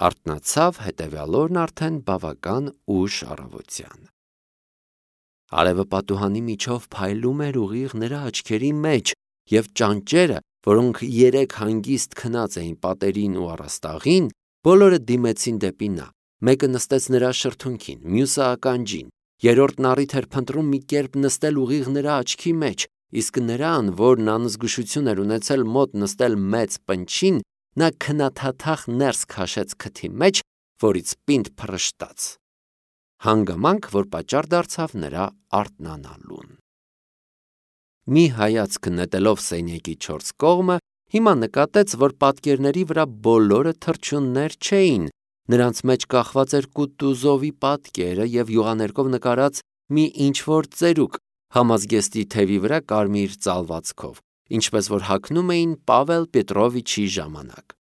Արթնացավ հետևյալ օրն արդեն բավական ուշ առավոտյան։ Արևը պատուհանի միջով փայլում էր ուղիղ նրա աչքերի մեջ, և ճանճերը, որոնք երեկ հանգիստ քնած էին պատերին ու առաստաղին, բոլորը դիմեցին դեպի նա։ Մեկը նստեց նրա շրթունքին, մյուսը ականջին, երրորդն առիթ էր փնտրում մի կերպ նստել ուղիղ նրա աչքի մեջ, իսկ նրան, որն անզգուշություն էր ունեցել մոտ նստել մեծ պնչին, նա քնաթաթախ ներս քաշեց քթի մեջ, որից պինդ փռշտաց։ Հանգամանք, որ պատճառ դարձավ նրա արթնանալուն։ Մի հայացք նետելով սենյակի 4 կողմը, հիմա նկատեց, որ պատկերների վրա բոլորը թռչուններ չէին, նրանց մեջ կախված էր Կուտուզովի պատկերը և յուղաներկով նկարած մի ինչ-որ ծերուկ, համազգեստի թևի վրա կարմիր ծալվածքով, ինչպես որ հագնում էին Պավել Պետրովիչի ժամանակ։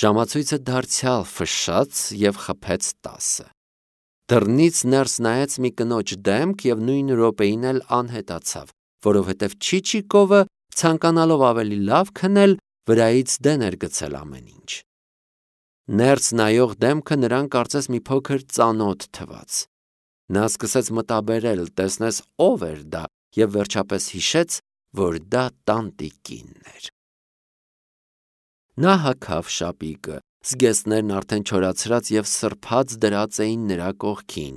Ժամացույցը դարձյալ ֆշշաց և խփեց 10-ը։ Դռնից ներս նայեց մի կնոջ դեմք և նույն րոպեին էլ անհետացավ, որովհետև Չիչիկովը, ցանկանալով ավելի լավ քնել, վրայից դեն էր գցել ամեն ինչ։ Ներս նայող դեմքը նրան կարծես մի փոքր ծանոթ թվաց։ Նա սկսեց մտաբերել, տեսնես ով էր դա, և վերջապես հիշեց, որ դա տանտիկինն էր։ Նա հագավ շապիկը, զգեստներն արդեն չորացրած և սրբած դրած էին նրա կողքին։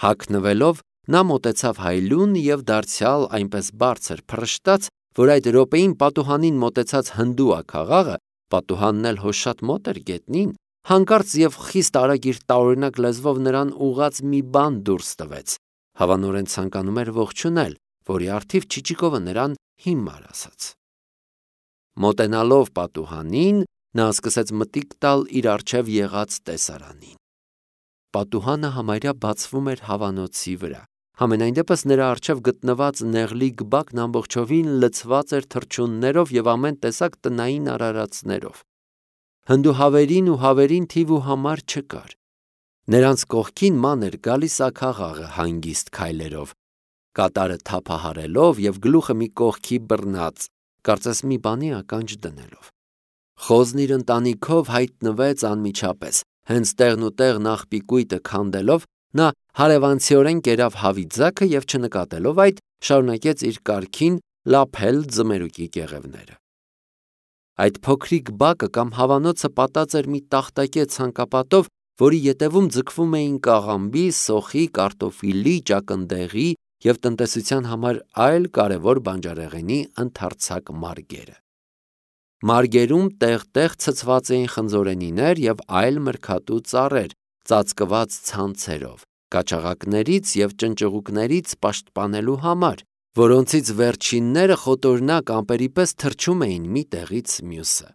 Հագնվելով, նա մոտեցավ հայլուն և դարձյալ այնպես բարձր փռշտաց, որ այդ րոպեին պատուհանին մոտեցած հնդուաքաղաղը, պատուհանն էլ հո շատ մոտ էր գետնին, հանկարծ և խիստ արագ իր տարօրինակ լեզվով նրան ուղղած մի բան դուրս տվեց, հավանորեն ցանկանում էր ողջունել, որի առթիվ Չիչիկովը նրան հիմար ասաց։ Մոտենալով պատուհանին, նա սկսեց մտիկ տալ իր առջև եղած տեսարանին։ Պատուհանը համարյա բացվում էր հավանոցի վրա, համենայն դեպս նրա առջև գտնված նեղլիկ բակն ամբողջովին լցված էր թռչուններով և ամեն տեսակ տնային արարածներով։ Հնդուհավերին ու հավերին թիվ ու համար չկար։ Նրանց կողքին ման էր գալիս աքաղաղը հանգիստ քայլերով, կատարը թափահարելով և գլուխը մի կողքի բռնած, կարծես մի բանի ականջ դնելով։ Խոզն իր ընտանիքով հայտնվեց անմիջապես, հենց տեղն ու տեղ նախպիկույտը քանդելով, նա հարևանցիորեն կերավ հավի ձագը և չնկատելով այդ, շարունակեց իր կարգին լափել ձմերուկի կեղևները։ Այդ փոքրիկ բակը կամ հավանոցը պատած էր մի տախտակե ցանկապատով, որի ետևում ձգվում էին կաղամբի, սոխի, կարտոֆիլի, ճակնդեղի և տնտեսության համար այլ կարևոր բանջարեղենի ընդարձակ մարգերը։ Մարգերում տեղ-տեղ ցցված էին խնձորենիներ և այլ մրգատու ծառեր, ծածկված ցանցերով, կաչաղակներից և ճնճղուկներից պաշտպանելու համար, որոնցից վերջինները խոտորնակ ամպերի պես թռչում էին մի տեղից մյուսը։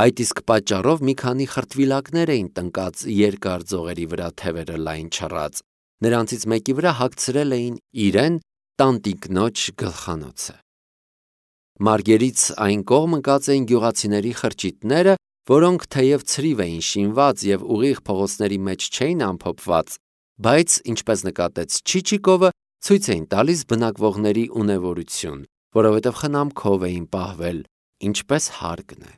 Այդ իսկ պատճառով մի քանի խրտվիլակներ էին տնկած երկար ձողերի վրա թևերը լայն չռած, նրանցից մեկի վրա հագցրել էին իրեն տանտիկնոջ գլխանոցը։ Մարգերից այն կողմ ընկած էին գյուղացիների խրճիթները, որոնք թեև ցրիվ էին շինված և ուղիղ փողոցների մեջ չէին ամփոփված, բայց, ինչպես նկատեց Չիչիկովը, ցույց էին տալիս բնակվողների ունևորություն, որովհետև խնամքով էին պահվել, ինչպես հարկն է։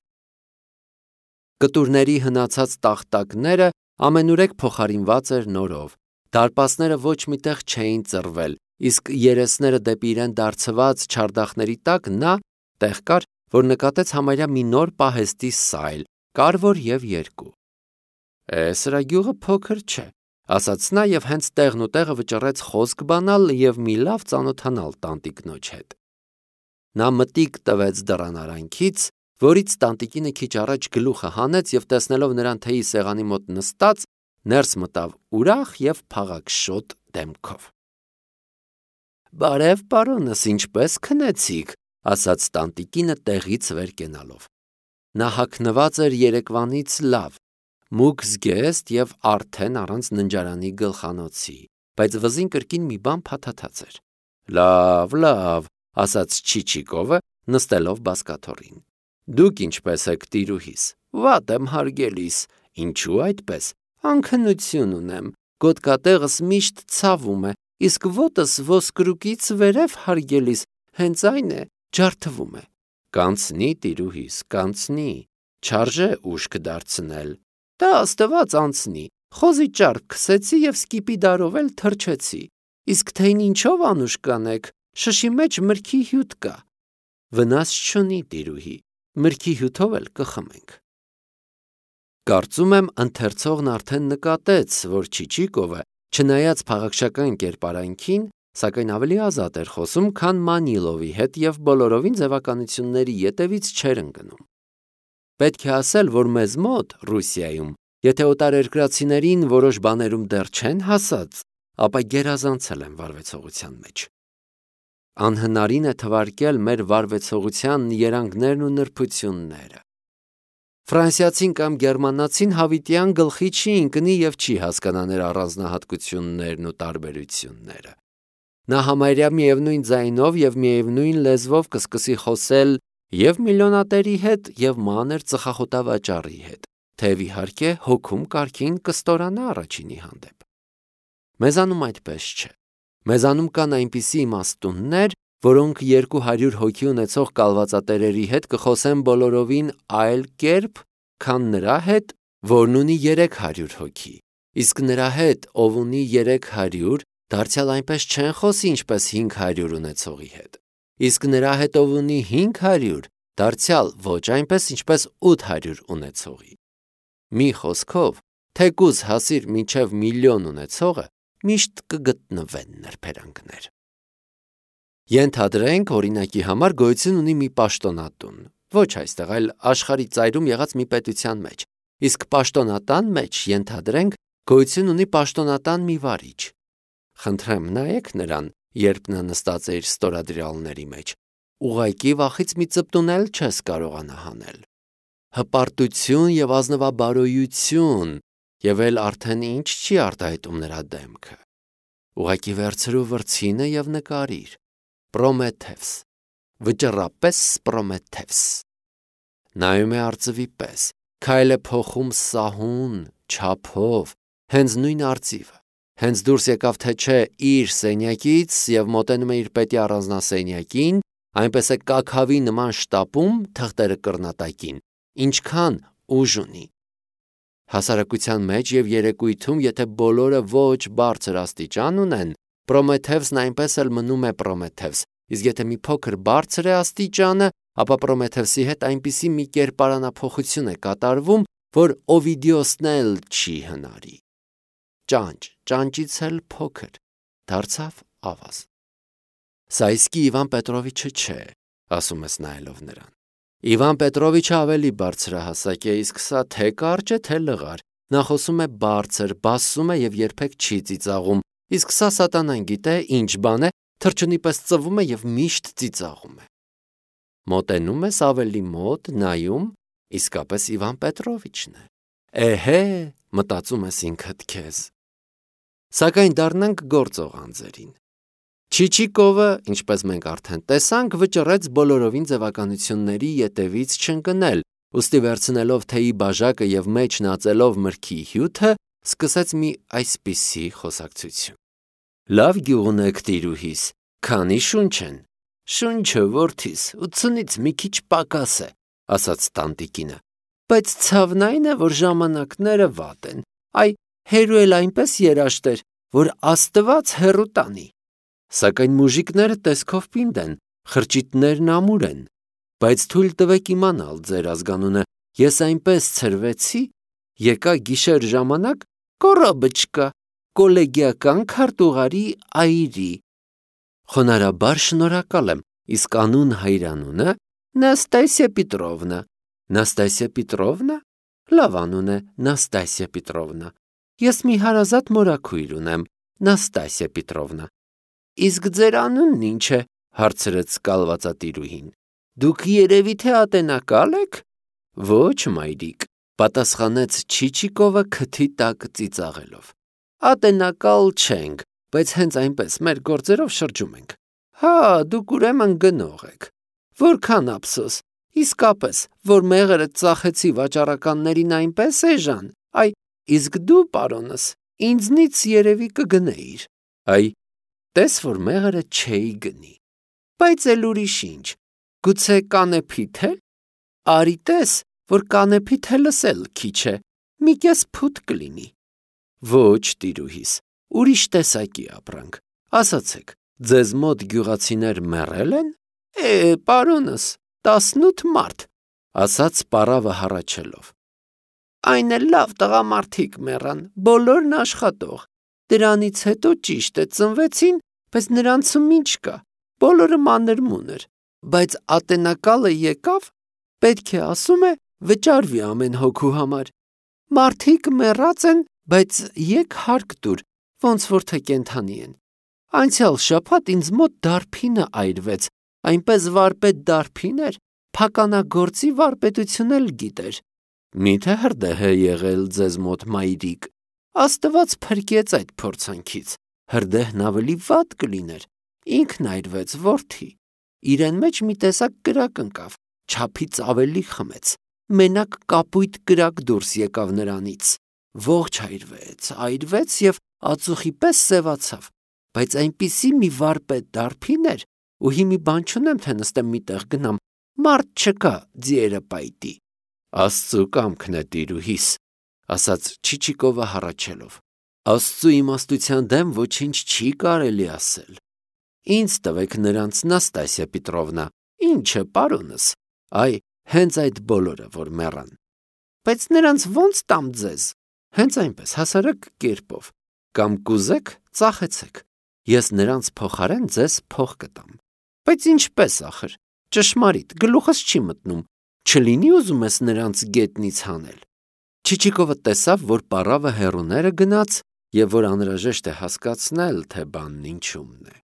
Կտուրների հնացած տախտակները ամենուրեք փոխարինված էր նորով, դարպասները ոչ մի տեղ չէին ծռվել, իսկ երեսները դեպի իրեն դարձված չարդախների տակ նա տեղ կար, որ նկատեց համարյա մի նոր պահեստի սայլ, կարևոր և երկու։ Սրա գյուղը փոքր չէ, ասաց նա և հենց տեղն ու տեղը վճռեց խոսք բանալ և մի լավ ծանոթանալ տանտիկնոջ հետ։ Նա մտիկ տվեց դռան արանքից, որից տանտիկինը քիչ առաջ գլուխը հանեց և տեսնելով նրան թեյի սեղանի մոտ նստած, ներս մտավ ուրախ և փաղաքշոտ դեմքով։ Բարև, պարոնս, ինչպե՞ս քնեցիք, ասաց տանտիկինը տեղից վեր կենալով։ Նա հագնված էր երեկվանից լավ, մուգ զգեստ և արդեն առանց ննջարանի գլխանոցի, բայց վզին կրկին մի բան փաթաթած էր։ Լավ, ասաց Չիչիկովը, նստելով բազկաթոռին։ Դուք ինչպե՞ս եք, տիրուհիս։ Վատ եմ, հարգելիս։ Ինչու այդպես։ Անքնություն ունեմ, գոտկատեղս միշտ ցավում է, իսկ ոտս ոսկրուկից վերև, հարգելիս, հենց այն է, ջարդվում է։ Կանցնի, տիրուհիս, կանցնի, չարժե ուշք դարձնել, Դա Աստված անցնի, խոզի ճարպ քսեցի և սկիպիդարով էլ թրջեցի, իսկ թե ինչով անուշ կանեք, շշի մեջ մրգի հյութ կա, վնաս չունի տիրուհի, մրգի հյութով էլ կխմենք։ Կարծում եմ ընթերցողն արդեն նկատեց, որ Չիչիկովը, չնայած փաղաքշական կերպարանքին, սակայն ավելի ազատ էր խոսում, քան Մանիլովի հետ և բոլորովին ձևականությունների ետևից չէր ընկնում։ Պետք է ասել, որ մեզ մոտ, Ռուսիայում, եթե օտարերկրացիներին որոշ բաներում դեռ չեն հասած, ապա գերազանցել են վարվեցողության մեջ։ Անհնարին է թվարկել մեր վարվեցողության երանգներն ու նրբությունները։ Ֆրանսիացին կամ գերմանացին հավիտյան գլխի չի ընկնի և չի հասկանա նրա առանձնահատկություններն ու տարբերությունները։ Նա համարյա միևնույն ձայնով և միևնույն լեզվով կսկսի խոսել և միլիոնատերի հետ, և մանր ծխախոտավաճառի հետ, թեև իհարկե հոգում կարգին կստորանա առաջինի հանդեպ։ Մեզանում այդպես չէ։ Մեզանում կան այնպիսի իմաստուններ, որոնք 200 հոգի ունեցող կալվածատերերի հետ կխոսեն բոլորովին այլ կերպ, քան նրա հետ, որն ունի 300 հոգի, իսկ նրա հետ, ով ունի 300, դարձյալ այնպես չեն խոսի, ինչպես 500 ունեցողի հետ, իսկ նրա հետ, ով ունի 500, դարձյալ ոչ այնպես, ինչպես 800 ունեցողի։ Մի խոսքով, թեկուզ հասիր մինչև միլիոն ունեցողը, միշտ կգտնվեն նրբերանգներ։ Ենթադրենք, օրինակի համար գոյություն ունի մի պաշտոնատուն, ոչ այստեղ, այլ աշխարհի ծայրում եղած մի պետության մեջ, իսկ պաշտոնատան մեջ, ենթադրենք, գոյություն ունի պաշտոնատան մի վարիչ։ Խնդրեմ, նայեք նրան, երբ նա նստած է իր ստորադրյալների մեջ, ուղղակի վախից մի ծպտուն էլ չես կարողանա հանել։ Հպարտություն և ազնվաբարոյություն, և էլ արդեն ինչ չի արտահայտում նրա դեմքը։ Ուղղակի վերցրու վրձինը և նկարիր. Պրոմեթևս, վճռապես Պրոմեթևս։ Նայում է արծվի պես, քայլ է փոխում սահուն, չափով, հենց նույն արծիվը, հենց դուրս եկավ թե չէ իր սենյակից և մոտենում է իր պետի առանձնասենյակին, այնպես է կաքավի նման շտապում թղթերը կռնատակին, ինչքան ուժ ունի։ Հասարակության մեջ և երեկույթում, եթե բոլորը ոչ բարձր աստիճան ունեն, Պրոմեթևսն այնպես էլ մնում է Պրոմեթևս, իսկ եթե մի փոքր բարձր է աստիճանը, ապա Պրոմեթևսի հետ այնպիսի մի կերպարանափոխություն է կատարվում, որ Օվիդիոսն էլ չի հնարի։ Ճանճից էլ փոքր, դարձավ ավազ։ Սա իսկի Իվան Պետրովիչը չէ, ասում ես նայելով նրան։ Իվան Պետրովիչը ավելի բարձրահասակ է, իսկ սա թե կարճ է, թե լղար։ Նա խոսում է բարձր, բասում է և երբեք չի ծիծաղում, իսկ սա սատանան գիտե ինչ բան է, թռչունի պես ծվում է և միշտ ծիծաղում է։ Մոտենում ես ավելի մոտ, նայում, իսկապես Իվան Պետրովիչն է։ Էհե, մտածում ես ինքդ քեզ։ Սակայն դառնանք գործող անձերին։ Չիչիկովը, ինչպես մենք արդեն տեսանք, վճռեց բոլորովին ձևականությունների ետևից չընկնել, ուստի վերցնելով թեյի բաժակը և մեջն ածելով մրգի հյութը, սկսեց մի այսպիսի խոսակցություն. Լավ գյուղ ունեք, տիրուհիս, քանի շունչ են։ Շունչը, որդիս, 80-ից մի քիչ պակաս է, ասաց տանտիկինը, բայց ցավն այն է, որ ժամանակները վատ են, այ հերու էլ այնպես երաշտ էր, որ Աստված հեռու տանի։ Սակայն մուժիկները տեսքով պինդ են, խրճիթներն ամուր են, բայց թույլ տվեք իմանալ ձեր ազգանունը, ես այնպես ցրվեցի, եկա գիշեր ժամանակ կոռոբչկա, կոլեգիական քարտուղարի այրի։ Խոնարհաբար շնորհակալ եմ, իսկ անուն հայրանունը Նաստասիա Պետրովնա։ Նաստասիա Պետրովնա։ Լավ անուն է, Նաստասիա Պետրովնա։ Ես մի հարազատ մորաքույր ունեմ, Նաստասիա Պետրովնա։ Իսկ ձեր անունն ինչ է, հարցրեց կալվածատիրուհին։ Դուք երևի թե ատենակալ եք։ Ոչ, մայրիկ, պատասխանեց Չիչիկովը քթի տակ ծիծաղելով։ Ատենակալ չենք, բայց հենց այնպես մեր գործերով շրջում ենք։ Հա, դուք ուրեմն գնող եք։ Որքան ափսոս, իսկապես, որ մեղրը ծախեցի վաճառականներին այնպես էժան, այ, իսկ դու, պարոնս, ինձնից երևի կգնեիր։ Այ, տես, որ մեղրը չէի գնի։ Բայց էլ ուրիշ ինչ, գուցե կանեփիդ էլ։ Արի տես, որ կանեփիդ հելս էլ քիչ է, մի կես փութ կլինի։ Ոչ, տիրուհիս, ուրիշ տեսակի ապրանք, ասացեք, ձեզ մոտ գյուղացիներ մեռել են։ Պարոնս, 18 մարդ, ասաց պարավը հառաչելով։ Այն էլ լավ տղամարդիկ մեռան, բոլորն աշխատող։ Դրանից հետո ճիշտ է ծնվեցին, բայց նրանցում ինչ կա, բոլորը մանր-մունր, բայց ատենակալը եկավ, պետք է ասում է, վճարվի ամեն հոգու համար։ Մարդիկ մեռած են, բայց եկ հարկ տուր, ոնց որ թե կենդանի են։ Անցյալ շաբաթ ինձ մոտ դարբինը այրվեց, այնպես վարպետ դարբին էր, փականագործի վարպետություն էլ գիտեր։ Միթե հրդեհ է եղել ձեզ մոտ մայրիկ։ Աստված փրկեց այդ փորձանքից, հրդեհն ավելի վատ կլիներ, ինքն այրվեց որդի, իրեն մեջ մի տեսակ կրակ ընկավ, չափից ավելի խմեց, մենակ կապույտ կրակ դուրս եկավ նրանից, ողջ այրվեց և ածուխի պես սևացավ, բայց այնպիսի մի վարպետ դարբին էր, ու հիմի բան չունեմ, թե նստեմ մի տեղ գնամ, մարդ չկա ձիերը պայտի։ Աստծու կամքն է, տիրուհիս, ասաց Չիչիկովը հառաչելով։ Աստծու իմաստության դեմ ոչինչ չի կարելի ասել։ Ինձ տվեք նրանց, Նաստասիա Պետրովնա, ինչը, պարոնս, հենց այդ բոլորը, որ մեռան։ Բայց նրանց ո՞նց տամ ձեզ։ Հենց այնպես հասարակ կերպով, կամ կուզեք, ծախեցեք, ես նրանց փոխարեն ձեզ փող կտամ։ Բայց ինչպես ախր, ճշմարիտ, գլուխս չի մտնում, չլինի ուզում ես նրանց գետնից հանել։ Չիչիկովը տեսավ, որ պարավը հեռուները գնաց և որ անհրաժեշտ է հասկացնել, թե բանն ինչումն է։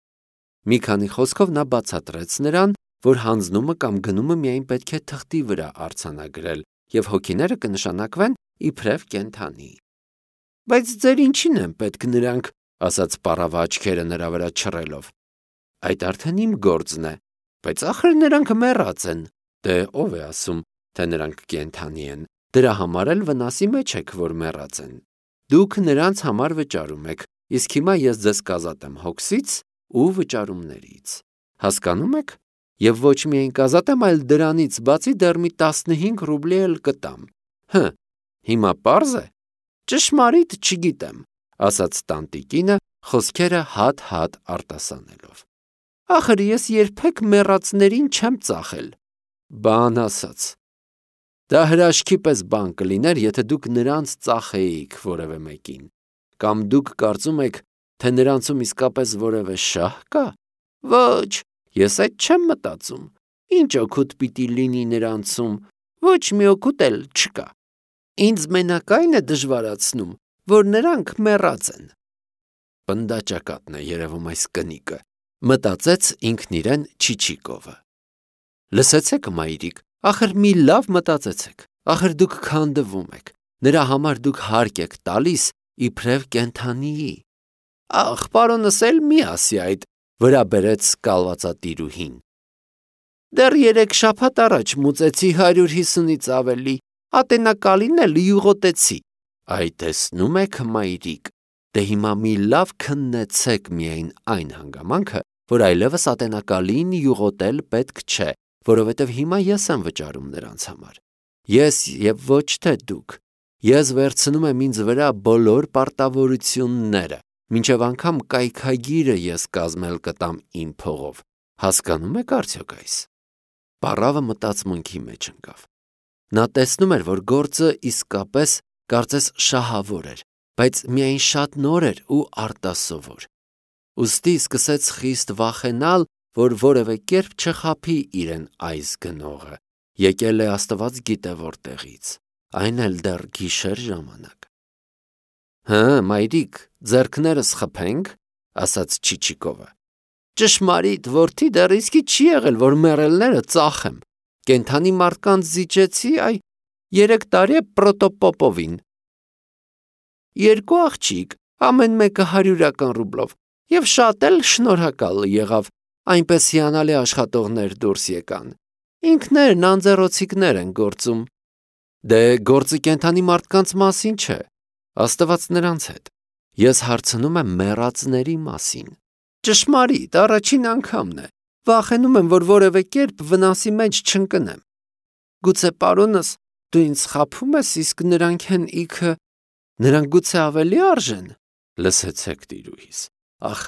Մի քանի խոսքով նա բացատրեց նրան, որ հանձնումը կամ գնումը միայն պետք է թղթի վրա արձանագրել և հոգիները կնշանակվեն իբրև կենդանի։ Բայց ձեր ինչին են պետք նրանք, ասաց պարավը աչքերը նրա վրա չռելով։ Այդ արդեն իմ գործն է, բայց ախր նրանք մեռած են։ Դե ով է ասում, թե նրանք կենդանի են, դրա համար էլ վնասի մեջ եք, որ մեռած են։ Դուք նրանց համար վճարում եք, իսկ հիմա ես ձեզ կազատեմ հոգսից ու վճարումներից։ Հասկանում եք։ Եվ ոչ միայն կազատեմ, այլ դրանից բացի դեռ մի 15 ռուբլի էլ կտամ։ Հիմա պարզ է։ Ճշմարիտ չգիտեմ, ասաց տանտիկինը, խոսքերը հատ-հատ արտասանելով։ Ախր ես երբեք մեռածներին չեմ ծախել։ Բան ասաց։ Դա հրաշքի պես բան կլիներ, եթե դուք նրանց ծախեիք որևէ մեկին։ Կամ դուք կարծում եք, թե նրանցում իսկապես որևէ շահ կա։ Ոչ, ես այդ չեմ մտածում։ Ինչ օգուտ պիտի լինի նրանցում, ոչ մի օգուտ էլ չկա։ Ինձ մենակ այն է դժվարացնում, որ նրանք մեռած են։ Պնդաճակատն է երևում այս կնիկը, մտածեց ինքն իրեն Չիչիկովը։ Լսեցեք, մայրիկ, ախր մի լավ մտածեցեք, ախր դուք քանդվում եք, նրա համար դուք հարկ եք տալիս իբրև կենդանիի։ Ախ, պարոնս էլ մի ասի այդ, վրա բերեց կալվածատիրուհին։ Դեռ 3 շաբաթ առաջ մուծեցի 150-ից ավելի, ատենակալին էլ յուղոտեցի։ Այ տեսնում եք, մայրիկ, դե հիմա մի լավ քննեցեք միայն այն հանգամանքը, որ այլևս ատենակալին յուղոտել պետք չէ, որովհետև հիմա ես եմ վճարում նրանց համար։ Ես և ոչ թե դուք։ Ես վերցնում եմ ինձ վրա բոլոր պարտավորությունները, մինչև անգամ կայքագիրը ես կազմել կտամ իմ փողով։ Հասկանում եք արդյոք այս։ Պարավը մտածմունքի մեջ ընկավ։ Նա տեսնում էր, որ գործը իսկապես կարծես շահավոր էր, բայց միայն շատ նոր էր ու արտասովոր։ Ուստի սկսեց խիստ վախենալ, որ որևէ կերպ չխաբի իրեն այս գնողը, եկել է Աստված գիտե որտեղից, այն էլ դեռ գիշեր ժամանակ։ Մայրիկ, ձեռքներս խփենք, ասաց Չիչիկովը։ Ճշմարիտ, որդի, դեռ իսկի չի եղել, որ մեռելները ծախեմ։ Կենդանի մարդկանց զիջեցի, 3 տարի է Պրոտոպոպովին։ 2 աղջիկ, ամեն մեկը 100 ռուբլով, և շատ էլ շնորհակալ եղավ, այնպես հիանալի աշխատողներ դուրս եկան։ Ինքներն անձեռոցիկներ են գործում։ Դե գործը կենդանի մարդկանց մասին չէ, Աստված նրանց հետ։ Ես հարցնում եմ մեռածների մասին։ Ճշմարիտ, առաջին անգամն է։ Վախենում եմ, որ որևէ կերպ վնասի մեջ չընկնեմ։ Գուցե պարոնս Դու ինձ խաբում ես, իսկ նրանք են իքը, նրանք գուցե ավելի արժեն, լսեցեք տիրուհիս։ Ախ,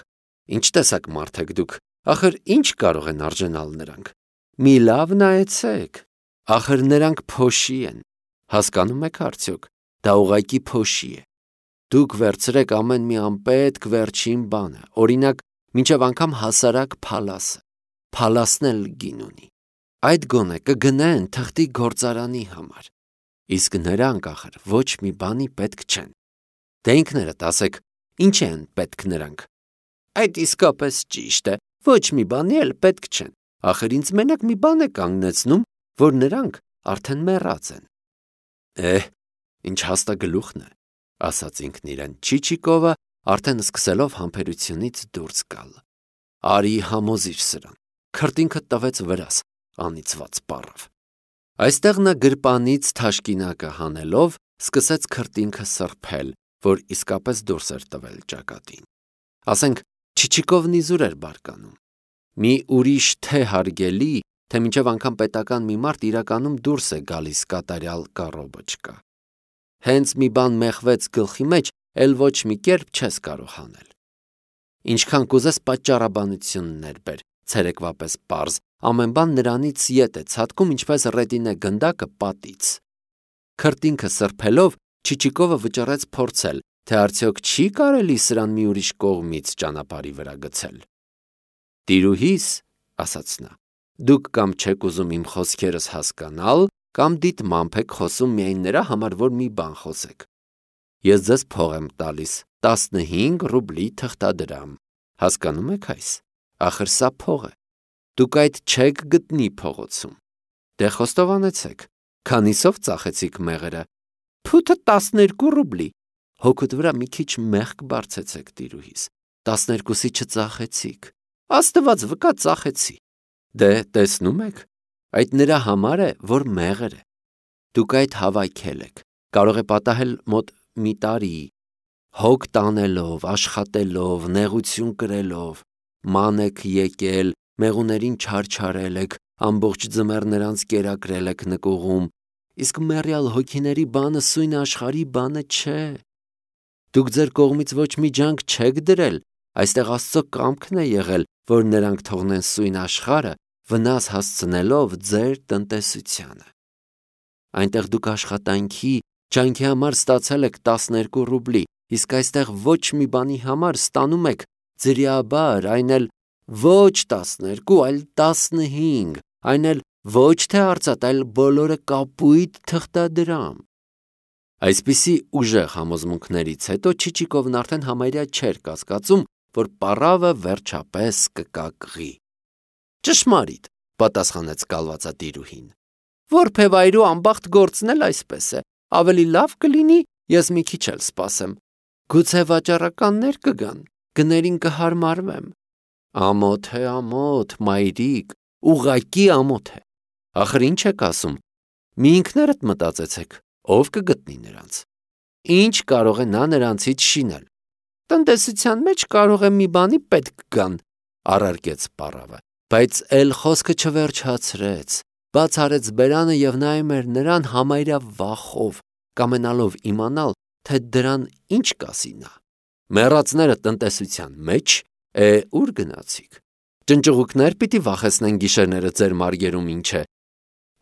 ինչ տեսակ մարդ եք դուք, ախր ինչ կարող են արժենալ նրանք։ Մի լավ նայեցեք, ախր նրանք փոշի են, հասկանում եք արդյոք, դա ուղղակի փոշի է։ Դուք վերցրեք ամեն մի անպետք վերջին բանը, օրինակ, մինչև անգամ հասարակ փալասը, փալասն էլ գին ունի։ Այդ գոնե կգնեն թղթի գործարանի համար, իսկ նրանք ախր ոչ մի բանի պետք չեն։ Դե ինքներդ ասեք, ինչ են պետք նրանք։ Այդ իսկապես ճիշտ է, ոչ մի բանի էլ պետք չեն, ախր ինձ մենակ մի բան է կանգնեցնում, որ նրանք արդեն մեռած են։ Ինչ հաստագլուխն է, ասաց ինքն իրեն Չիչիկովը, արդեն սկսելով համբերությունից դուրս գալ։ Արի համոզիր սրան, քրտինքը տվեց վրաս, անիծված պառավ։ Այստեղ նա գրպանից թաշկինակը հանելով սկսեց քրտինքը սրբել, որ իսկապես դուրս էր տվել ճակատին։ Ասենք, Չիչիկովն իզուր էր բարկանում։ Մի ուրիշ թե հարգելի, թե մինչև անգամ պետական մի մարդ իրականում դուրս է գալիս կատարյալ կառոբոչկա։ Հենց մի բան մեղվեց գլխի մեջ, էլ ոչ մի կերպ չես կարող հանել։ Ինչքան կուզես պատճառաբանություններ բեր, ցերեկվա պես պարզ, ամեն բան նրանից ետ է ցատկում, ինչպես ռետինե գնդակը պատից։ Քրտինքը սրբելով Չիչիկովը վճռեց փորձել, թե արդյոք չի կարելի սրան մի ուրիշ կողմից ճանապարհի վրա գցել։ Տիրուհիս, ասաց նա, դուք կամ չեք ուզում իմ խոսքերս հասկանալ, կամ դիտմամբ եք խոսում միայն նրա համար, որ մի բան խոսեք։ Ես ձեզ փող եմ տալիս 15 ռուբլի թղթադրամ, հասկանում եք այս, ախր սա փող է, դուք այդ չեք գտնի փողոցում, դե խոստովանեցեք, քանիսով ծախեցիք մեղրը, փութը 12 ռուբլի, հոգուտ վրա մի քիչ մեղք բարձեցեք տիրուհիս, 12-ի չծախեցիք, աստված վկա ծախեցի, դե տեսնում եք, այդ նրա համար է, որ մեղր է, դուք այդ հավաքել եք, կարող է պատահել մոտ մի տարի, հոգ տանելով, աշխատելով, նեղություն կրելով, ման եք եկել, մեղուներին չարչարել եք, ամբողջ ձմեռ նրանց կերակրել եք նկուղում, իսկ մեռյալ հոգիների բանը սույն աշխարհի բանը չէ։ Դուք ձեր կողմից ոչ մի ջանք չեք դրել, այստեղ Աստծո կամքն է եղել, որ նրանք թողնեն սույն աշխարհը, վնաս հասցնելով ձեր տնտեսությանը։ Այնտեղ դուք աշխատանքի, ջանքի համար ստացել եք 12 ռուբլի, իսկ այստեղ ոչ մի բանի համար ստանում եք ձրիաբար, այն էլ ոչ 12, այլ 15, այն էլ ոչ թե արծաթ, այլ բոլորը կապույտ թղթադրամ։ Այսպիսի ուժեղ համոզմունքներից հետո Չիչիկովն արդեն համարյա չէր կասկածում, որ պառավը վերջապես կկակղի։ Ճշմարիտ, պատասխանեց կալվածատիրուհին։ Որբևայրու անբախտ գործն էլ այսպես է, ավելի լավ կլինի, ես մի քիչ էլ սպասեմ։ Գուցե վաճառականներ կգան, գներին կհարմարվեմ։ Ամոթ է, ամոթ, մայրիկ, ուղղակի ամոթ է։ Ախր ինչ եք ասում։ Մի ինքներդ մտածեցեք, ով կգտնի նրանց։ Ինչ կարող է նա նրանցից շինել։ Տնտեսության մեջ կարող է մի բանի պետք գան, առարկեց պառավը, բայց էլ խոսքը չվերջացրեց, բաց արեց բերանը եւ նայում էր նրան համարյա վախով, կամենալով իմանալ, թե դրան ինչ կասի նա։ Մեռածները տնտեսության մեջ, ուր գնացիք։ Ճնճղուկներ պիտի վախեցնեն գիշերները ձեր մարգերում ինչ է։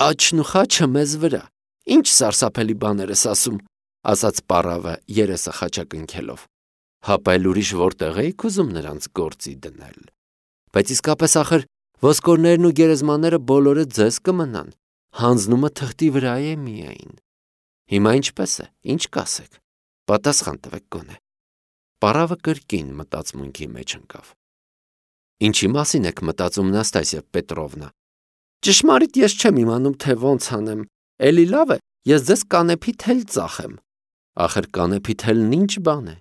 Աչն ու խաչը մեզ վրա։ Ինչ սարսափելի բաներ ես ասում, ասաց պառավը երեսը խաչակնքելով։ Հապա էլ ուրիշ որտեղ էիք ուզում նրանց գործի դնել։ Բայց իսկապես ախր ոսկորներն ու գերեզմանները բոլորը ձեզ կմնան, հանձնումը թղթի վրա է միայն։ Հիմա ինչպես է, ինչ կասեք, պատասխան տվեք գոնե։ Պառավը կրկին մտածմունքի մեջ ընկավ։ Ինչի մասին եք մտածում, Նաստասիա Պետրովնա։ Ճշմարիտ ես չեմ իմանում, թե ոնց անեմ, էլի լավ է, ես ձեզ կանեփի թել ծախեմ։ Ախր կանեփի թելն ինչ բան է։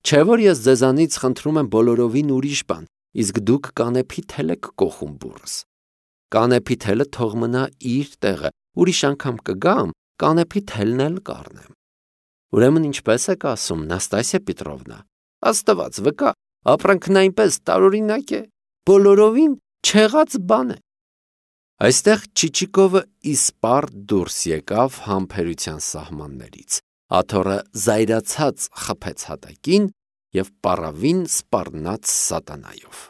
Չէ որ ես ձեզանից խնդրում եմ բոլորովին ուրիշ բան, իսկ դուք կանեփի թել եք կոխում բուրս։ Կանեփի թելը թող մնա իր տեղը, ուրիշ անգամ կգամ, կանեփի թելն էլ կառնեմ։ Ուրեմն ինչպես եք ասում, Նաստասիա Պետրովնա, աստված վկա, ապրանքն այնպես տարօրինակ է, բոլորովին չեղած բան է։ Այստեղ Չիչիկովը իսպառ դուրս եկավ համբերության սահմաններից, աթոռը զայրացած խփեց հատակին և պառավին սպառնաց սատանայով։